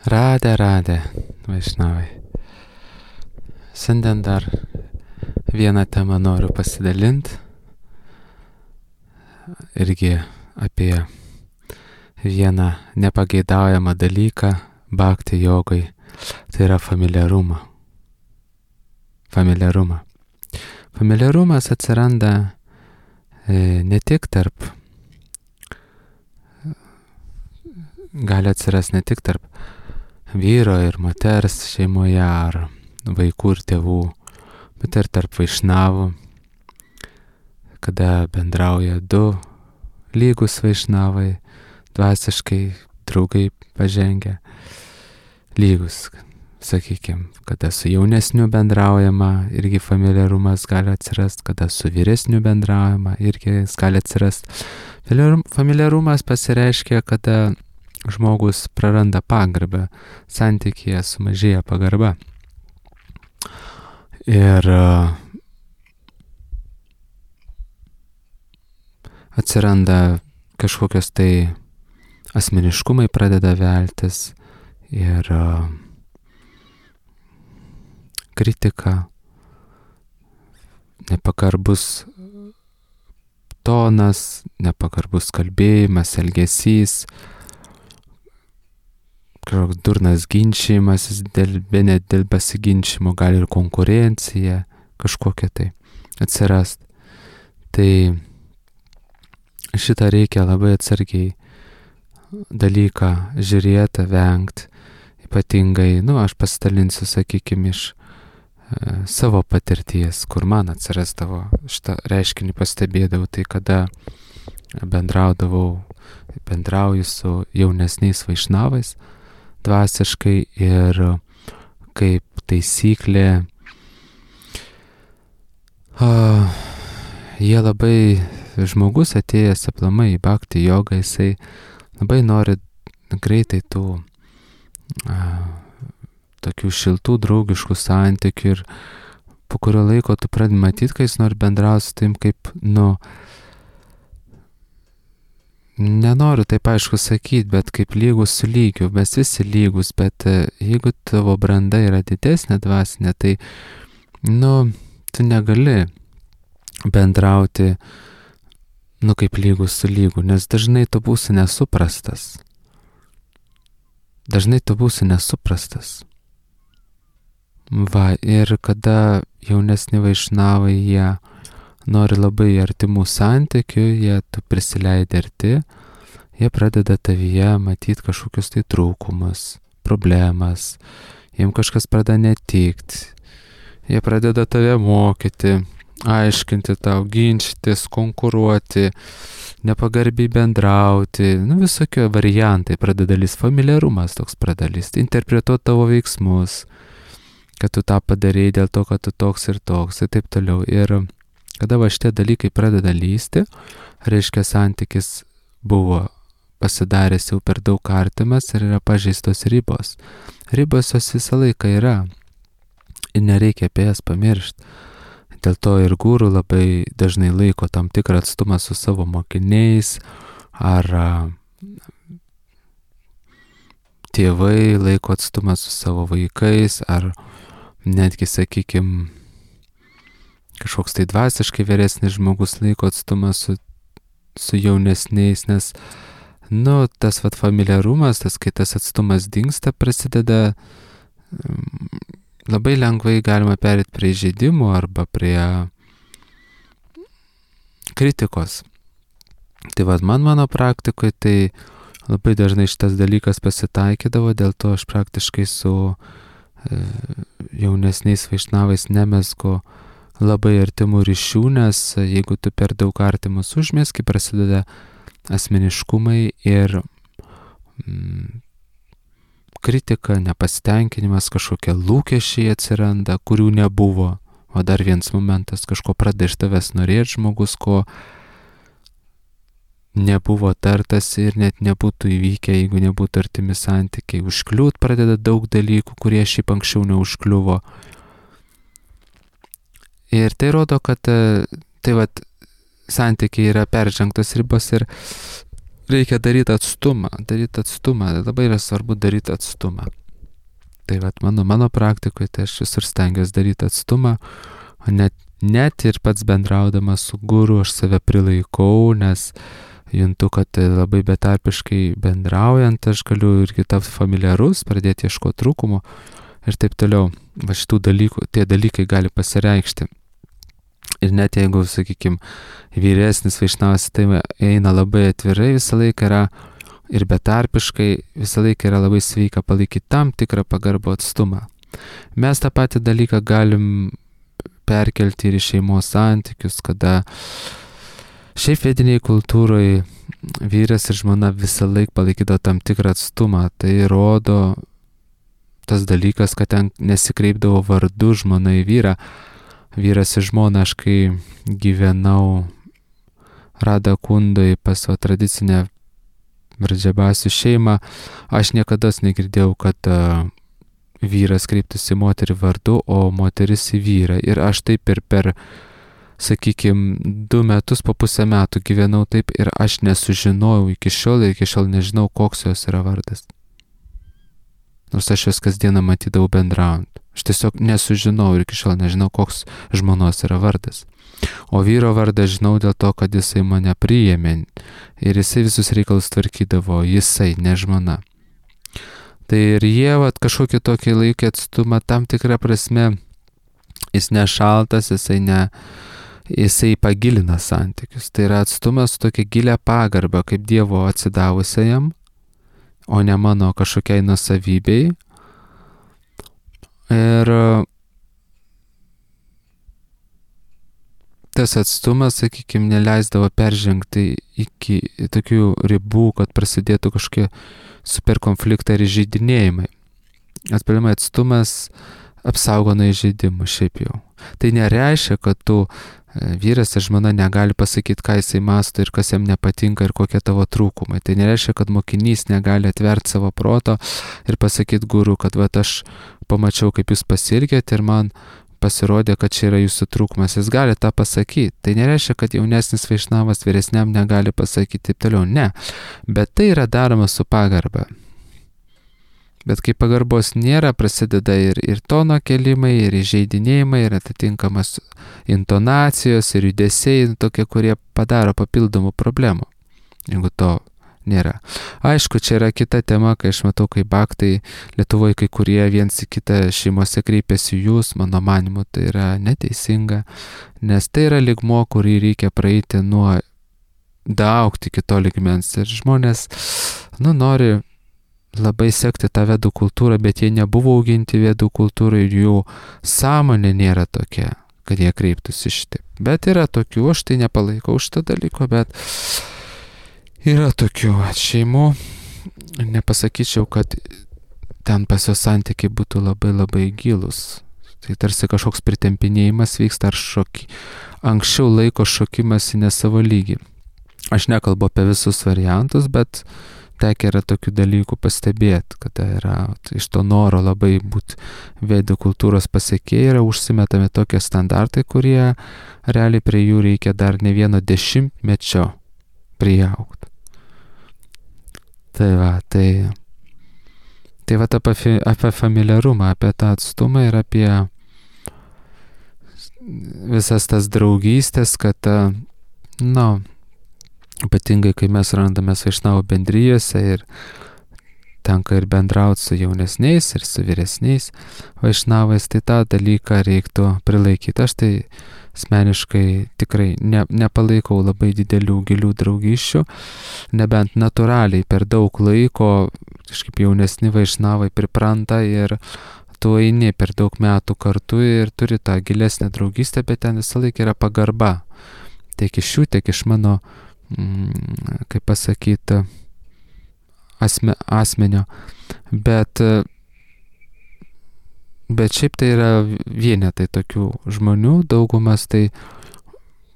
Radė, vaišnavai. Šiandien dar vieną temą noriu pasidalinti. Irgi apie vieną nepageidaujamą dalyką bhakti jogai. Tai yra familiarumą. Familiarumas atsiranda ne tik gali atsirasti ne tik tarp vyro ir moters šeimoje ar vaikų ir tėvų, bet ir tarp vaišnavų, kada bendrauja du lygus vaišnavai, dvasiškai draugai pažengę, lygus, sakykime, kada su jaunesniu bendraujama, irgi familiarumas gali atsirasti, kada su vyresniu bendraujama, irgi jis gali atsirasti. Familiarumas pasireiškia, kada žmogus praranda pagarbą, santykyje sumažėja pagarba. Ir atsiranda kažkokios tai asmeniškumai pradeda veltis ir kritika, nepagarbus tonas, nepagarbus kalbėjimas, elgesys, kažkoks durnas ginčijimasis dėl pasiginčimo, gali ir konkurencija kažkokia tai atsirast. Tai šitą reikia labai atsargiai dalyką žiūrėti, vengti. Ypatingai, aš pasidalinsiu, sakykime, iš savo patirties, kur man atsirasdavo šitą reiškinį pastebėdavau, tai kada bendrauju su jaunesniais vaišnavais dvasiškai ir kaip taisyklė jie labai, žmogus atėjęs aplamai į bhakti jogą, jisai labai nori greitai tų tokių šiltų, draugiškų santykių ir po kurio laiko tu pradedi matyti, kai jis nori bendrauti su tim kaip, nenoriu taip aišku sakyti, bet kaip lygus su lygiu, mes visi lygus, bet jeigu tavo branda yra didesnė dvasinė, tai, tu negali bendrauti, kaip lygus su lygu, nes dažnai tu būsi nesuprastas. Ir kada jaunesni vaišnavai, jie nori labai artimų santykių, tu prisileidi arti, jie pradeda tavyje matyti kažkokius tai trūkumus, problemas, jiems kažkas pradeda netikti, jie pradeda tave mokyti, aiškinti tau, ginčytis, konkuruoti, nepagarbiai bendrauti, visokie variantai pradeda lįsti, familiarumas toks pradeda lįsti, interpretuoti tavo veiksmus, kad tu tą padarei dėl to, kad tu toks ir taip toliau. Ir kada šitie dalykai pradeda lįsti, reiškia santykis buvo pasidaręs jau per daug artimas ir yra pažeistos ribos. Ribos jos visą laiką yra ir nereikia apie jas pamiršti. Dėl to ir guru labai dažnai laiko tam tikrą atstumą su savo mokiniais, ar tėvai laiko atstumą su savo vaikais, ar netgi, sakykime, kažkoks tai dvasiškai vyresnis žmogus laiko atstumą su jaunesniais, nes, tas familiarumas, kai tas atstumas dingsta, prasideda, labai lengvai galima perėti prie įžeidimų arba prie kritikos. Tai mano praktikoje tai labai dažnai šitas dalykas pasitaikydavo, dėl to aš praktiškai su jaunesniais vaišnavais nemezgu labai artimų ryšių, nes jeigu tu per daug artimus užmezgi, prasideda asmeniškumai ir kritika, nepasitenkinimas, kažkokie lūkesčiai atsiranda, kurių nebuvo. O dar vienas momentas, kažko pradeda iš tavęs norėti žmogus, ko nebuvo tartas ir net nebūtų įvykę, jeigu nebūtų artimi santykiai. Užkliūt pradeda daug dalykų, kurie šiaip anksčiau neužkliuvo. Ir tai rodo, kad santykiai yra peržengtos ribos ir reikia daryti atstumą, labai yra svarbu daryti atstumą. Tai vat mano praktikoje, tai aš visur stengiuosi daryti atstumą, o net ir pats bendraudamas su guru aš save prilaikau, nes juntu, kad labai betarpiškai bendraujant aš galiu irgi tapti familiarus, pradėti ieškoti trūkumų ir taip toliau. Va šitų dalykų, tie dalykai gali pasireikšti. Ir net jeigu, sakykime, vyresnis vaišnavas tai eina labai atvirai, visą laiką yra ir betarpiškai, visą laiką yra labai sveika palaikyti tam tikrą pagarbų atstumą. Mes tą patį dalyką galim perkelti ir į šeimos santykius, kada šiaip vediniai kultūroje vyras ir žmona visą laiką palaikydavo tam tikrą atstumą. Tai rodo tas dalykas, kad ten nesikreipdavo vardu žmona į vyrą. Vyras ir žmona, aš kai gyvenau Radakundoj pas savo tradicinę Vradžabasių šeimą, aš niekada negirdėjau, kad vyras kreiptųsi moterį vardu, o moteris į vyrą. Ir aš taip ir per, sakykime, 2 metus po pusę metų gyvenau taip ir aš nesužinojau iki šiol nežinau, koks jos yra vardas. Nors aš jos kasdieną matydavau bendraujant. Aš tiesiog nesužinau ir iki šiol nežinau, koks žmonos yra vardas. O vyro vardą žinau dėl to, kad jisai mane priėmė ir jisai visus reikalus tvarkydavo, jisai, ne žmona. Tai ir jie kažkokį tokį laikį atstumą tam tikrą prasme, jis nešaltas, jisai pagilina santykius. Tai yra atstumas su tokia gilia pagarba, kaip Dievo atsidavusiajam, o ne mano kažkokiai nusavybei. Ir tas atstumas, sakykime, neleisdavo peržengti iki tokių ribų, kad prasidėtų kažkokie super konfliktai ir įžeidinėjimai. Atpalimai atstumas apsaugo nuo įžeidimų šiaip jau. Tai nereiškia, kad tu vyras ir žmona negali pasakyti, ką jisai mąsto ir kas jam nepatinka ir kokie tavo trūkumai. Tai nereiškia, kad mokinys negali atverti savo proto ir pasakyti guru, kad aš pamačiau, kaip jūs pasielgėte ir man pasirodė, kad čia yra jūsų trūkumas. Jis gali tą pasakyti. Tai nereiškia, kad jaunesnis vaišnavas vyresniam negali pasakyti taip toliau. Ne. Bet tai yra daroma su pagarba. Bet kai pagarbos nėra, prasideda ir tono kelimai, ir įžeidinėjimai, ir atitinkamas intonacijos, ir judesiai, tokie, kurie padaro papildomų problemų, jeigu to nėra. Aišku, čia yra kita tema, kai aš matau, kai baktai Lietuvoje kai kurie viens į kitą šeimose kreipiasi jūs, mano manimu, tai yra neteisinga, nes tai yra lygmuo, kurį reikia praeiti nuo daaugti kito lygmens. Ir žmonės, nori labai sekti tą vedų kultūrą, bet jie nebuvo auginti vedų kultūrą ir jų sąmonė nėra tokia, kad jie kreiptųsi šitaip. Bet yra tokių, aš tai nepalaikau šitą dalyko, bet yra tokių šeimų, nepasakyčiau, kad ten pas jos santykiai būtų labai labai gilus. Tai tarsi kažkoks pritempinėjimas vyksta ar anksčiau laiko šokimas į nesavo lygį. Aš nekalbu apie visus variantus, bet tekia yra tokių dalykų pastebėti, kad yra iš to noro labai būti vedų kultūros pasiekėjai, yra užsimetami tokie standartai, kurie realiai prie jų reikia dar ne vieno 10-mečio priaugti. Tai va apie familiarumą, apie tą atstumą ir apie visas tas draugystės, kad, ypatingai, kai mes randamės vaišnavų bendrijose ir tenka ir bendrauti su jaunesniais ir su vyresniais vaišnavais, tai tą dalyką reiktų prilaikyti. Aš tai asmeniškai tikrai nepalaikau labai didelių gilių draugysčių, nebent natūraliai per daug laiko kažkaip jaunesni vaišnavai pripranta ir tu eini per daug metų kartu ir turi tą gilesnę draugystę, bet ten visą laiką yra pagarba. Tiek iš jų, tiek iš mano kaip pasakyti, asmenio. Bet šiaip tai yra vienetai tokių žmonių, daugumas tai,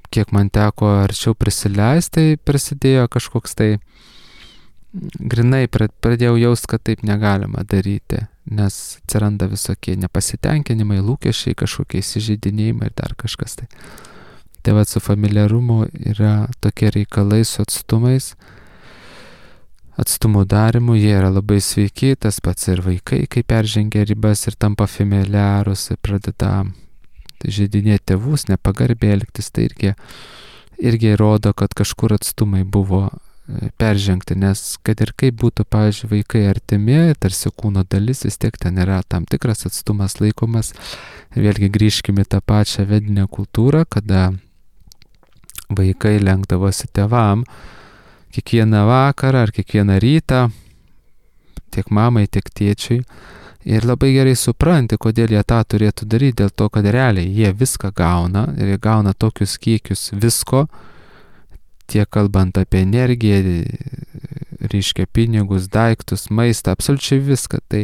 kiek man teko arčiau prisileisti, tai prasidėjo kažkoks tai, grinai pradėjau jausti, kad taip negalima daryti, nes atsiranda visokie nepasitenkinimai, lūkesčiai, kažkokie įsižeidinėjimai ir dar kažkas tai. Tai va su familiarumu yra tokie reikalai su atstumais. atstumų darimu, jie yra labai sveiki, tas pats ir vaikai, kai peržengia ribas ir tampa familiarus ir pradeda žeidinėti tėvus, nepagarbiai elgtis, tai irgi rodo, kad kažkur atstumai buvo peržengti, nes kad ir kaip būtų, pavyzdžiui, vaikai artimi, tarsi kūno dalis, vis tiek ten yra tam tikras atstumas laikomas. Vėlgi grįžkime į tą pačią vedinę kultūrą, kada vaikai lenkdavosi tėvam kiekvieną vakarą ar kiekvieną rytą, tiek mamai, tiek tėčiui. Ir labai gerai supranti, kodėl jie tą turėtų daryti, dėl to, kad realiai jie viską gauna ir jie gauna tokius kiekius visko, tiek kalbant apie energiją, reiškia pinigus, daiktus, maistą, absoliučiai viską. Tai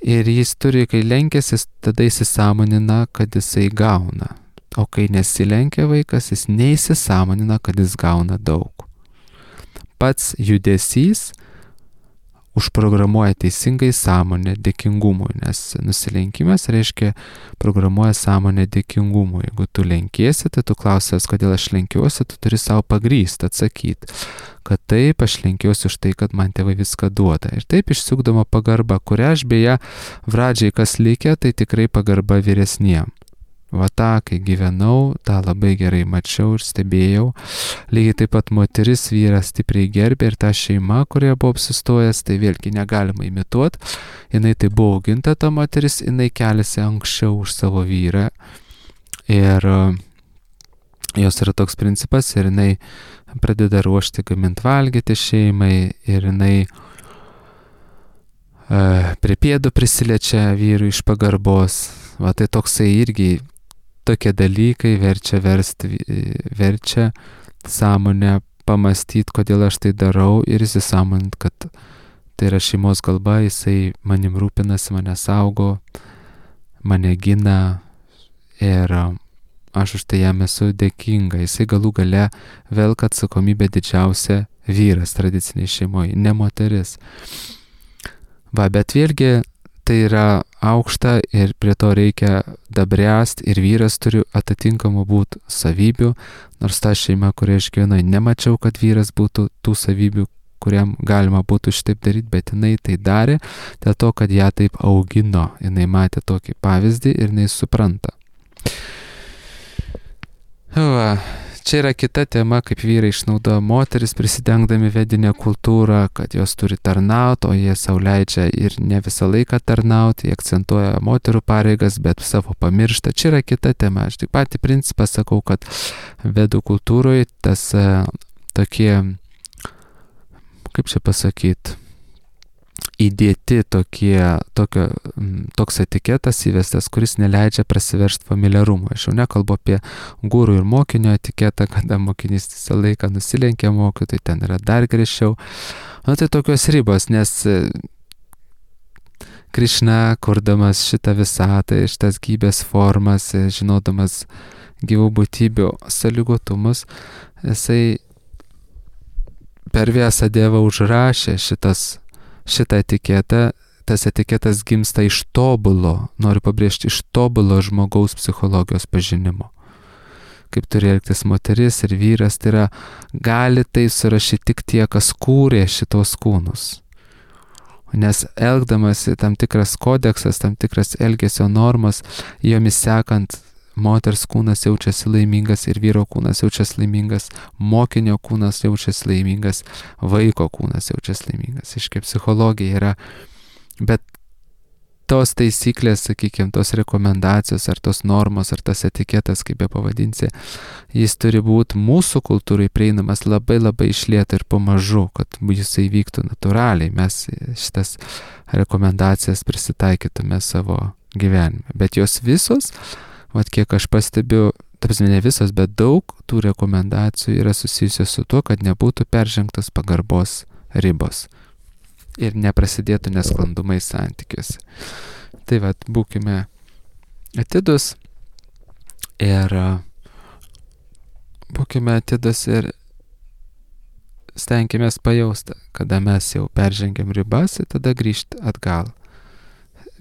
ir jis turi, kai lenkėsi, tada įsisąmonina, kad jisai gauna. O kai nesilenkia vaikas, jis neįsisąmonina, kad jis gauna daug. Pats judesys užprogramuoja teisingai sąmonę dėkingumui, nes nusilenkimas reiškia programuoja sąmonę dėkingumui. Jeigu tu lenkiesi, tai tu klausęs, kodėl aš lenkiuosi, tu turi savo pagrįsti, atsakyti, kad taip, aš lenkiuosi už tai, kad man tėvai viską duoda. Ir taip išsiugdoma pagarba, kurią aš beje, pradžiai kas likę, tai tikrai pagarba vyresniem. Va tą, kai gyvenau, tą labai gerai mačiau ir stebėjau. Lygiai taip pat moteris vyras stipriai gerbė ir ta šeima, kurioje buvo apsistojęs, tai vėlgi negalima imituoti. Jinai tai buvo auginta, ta moteris, jinai keliasi anksčiau už savo vyrą. Ir jos yra toks principas ir jinai pradeda ruošti, gaminti valgyti šeimai ir jinai prie pėdų prisiliečia vyrui iš pagarbos. Va tai toksai irgi tokie dalykai verčia sąmonę pamastyti, kodėl aš tai darau ir įsisąmonint, kad tai yra šeimos galba, jisai manim rūpinasi, mane saugo, mane gina ir aš už tai jam esu dėkinga. Jisai galų gale velka atsakomybę didžiausia vyras tradiciniai šeimoje, ne moteris. Va, bet vėlgi tai yra aukšta ir prie to reikia dabręst ir vyras turi atitinkamų būti savybių, nors ta šeima, kurioje aš gyvenu, nemačiau, kad vyras būtų tų savybių, kuriam galima būtų šitaip daryti, bet jinai tai darė dėl to, kad ją taip augino, jinai matė tokį pavyzdį ir jinai supranta. Va. Čia yra kita tema, kaip vyrai išnaudoja moteris prisidengdami vedinę kultūrą, kad jos turi tarnauti, o jie sau leidžia ir ne visą laiką tarnauti, jie akcentuoja moterų pareigas, bet savo pamiršta. Čia yra kita tema. Aš tik patį principą sakau, kad vedų kultūroje tas tokie, kaip čia pasakyti, įdėti toks etiketas įvestas, kuris neleidžia prasiveržti familiarumui. Aš jau nekalbu apie gurų ir mokinio etiketą, kada mokinys visą laiką nusilenkia mokytojui, tai ten yra dar griežčiau. Tai tokios ribos, nes Krišna, kurdamas šitą visatą, šitas gyvybės formas, žinodamas gyvų būtybių sąlygotumus, jisai per Vyasa Devą užrašė šitą etiketą. Tas etiketas gimsta iš tobulo, noriu pabrėžti, iš tobulo žmogaus psichologijos pažinimo. Kaip turi elgtis moteris ir vyras, tai yra, gali tai surašyti tik tie, kas kūrė šitos kūnus. Nes elgdamasi tam tikras kodeksas, tam tikras elgesio normas, jomis sekant, moters kūnas jaučiasi laimingas ir vyro kūnas jaučiasi laimingas, mokinio kūnas jaučiasi laimingas, vaiko kūnas jaučiasi laimingas. Iškai psichologija yra, bet tos taisyklės, sakykime, tos rekomendacijos ar tos normos ar tas etiketas, kaip be pavadinsi, jis turi būti mūsų kultūrai prieinamas labai labai iš lėto ir pamažu, kad jisai vyktų natūraliai, mes šitas rekomendacijas prisitaikytume savo gyvenime. Bet jos visos, vat kiek aš pastebiu, ne visos, bet daug tų rekomendacijų yra susijusios su tuo, kad nebūtų peržengtos pagarbos ribos ir neprasidėtų nesklandumai santykiuose. Tai vat, būkime atidus ir stenkimės pajausti, kada mes jau peržengiam ribas ir tada grįžti atgal.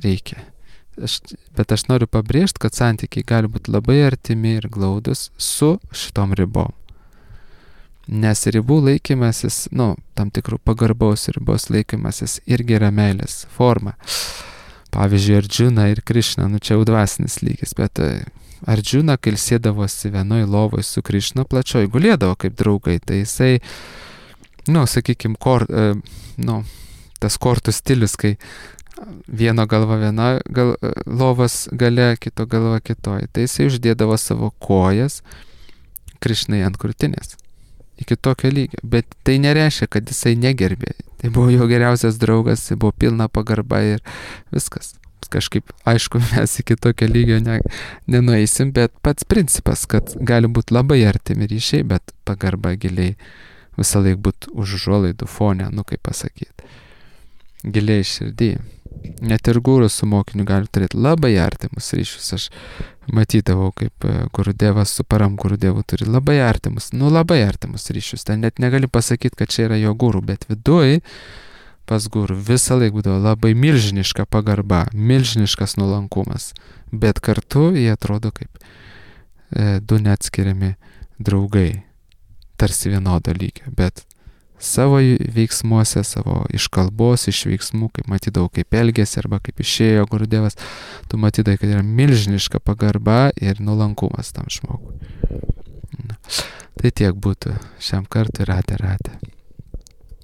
Reikia. Bet aš noriu pabrėžti, kad santykiai gali būti labai artimi ir glaudus su šitom ribom. Nes ribų laikymasis, tam tikrų pagarbaus ribos laikymasis irgi yra meilės forma. Pavyzdžiui, Arjuna ir Krišna, čia jau dvasinis lygis, bet Arjuna, kai ilsėdavosi vienoj lovoj su Krišna, plačioj gulėdavo kaip draugai, tai jisai, sakykime, tas kortų stilius, kai vieno galva viena lovos gale, kito galva kitoj, tai jisai uždėdavo savo kojas Krišnai ant krūtinės. Iki tokio lygio, bet tai nereiškia, kad jisai negerbė. Tai buvo jo geriausias draugas, tai buvo pilna pagarba ir viskas. Kažkaip, aišku, mes iki tokio lygio nenueisim, bet pats principas, kad gali būti labai artimi ryšiai, bet pagarba giliai visą laiką būtų už užuolaidų fone, kaip pasakyti. Giliai širdį. Net ir guru su mokiniu gali turėti labai artimus ryšius. Aš matydavau, kaip Gurudevas su Param Gurudevu turi labai artimus ryšius. Ten net negali pasakyti, kad čia yra jo guru, bet viduj pas guru visą laiką būdavo labai milžiniška pagarba, milžiniškas nuolankumas. Bet kartu jie atrodo kaip du neatskiriami draugai, tarsi vienodo lygio, bet savo veiksmuose, savo iš kalbos, iš veiksmų, kaip matydavau, kaip elgėsi arba kaip išėjo Gurudevas, tu matydavai, kad yra milžiniška pagarba ir nuolankumas tam žmogui. Tai tiek būtų šiam kartui, ratė.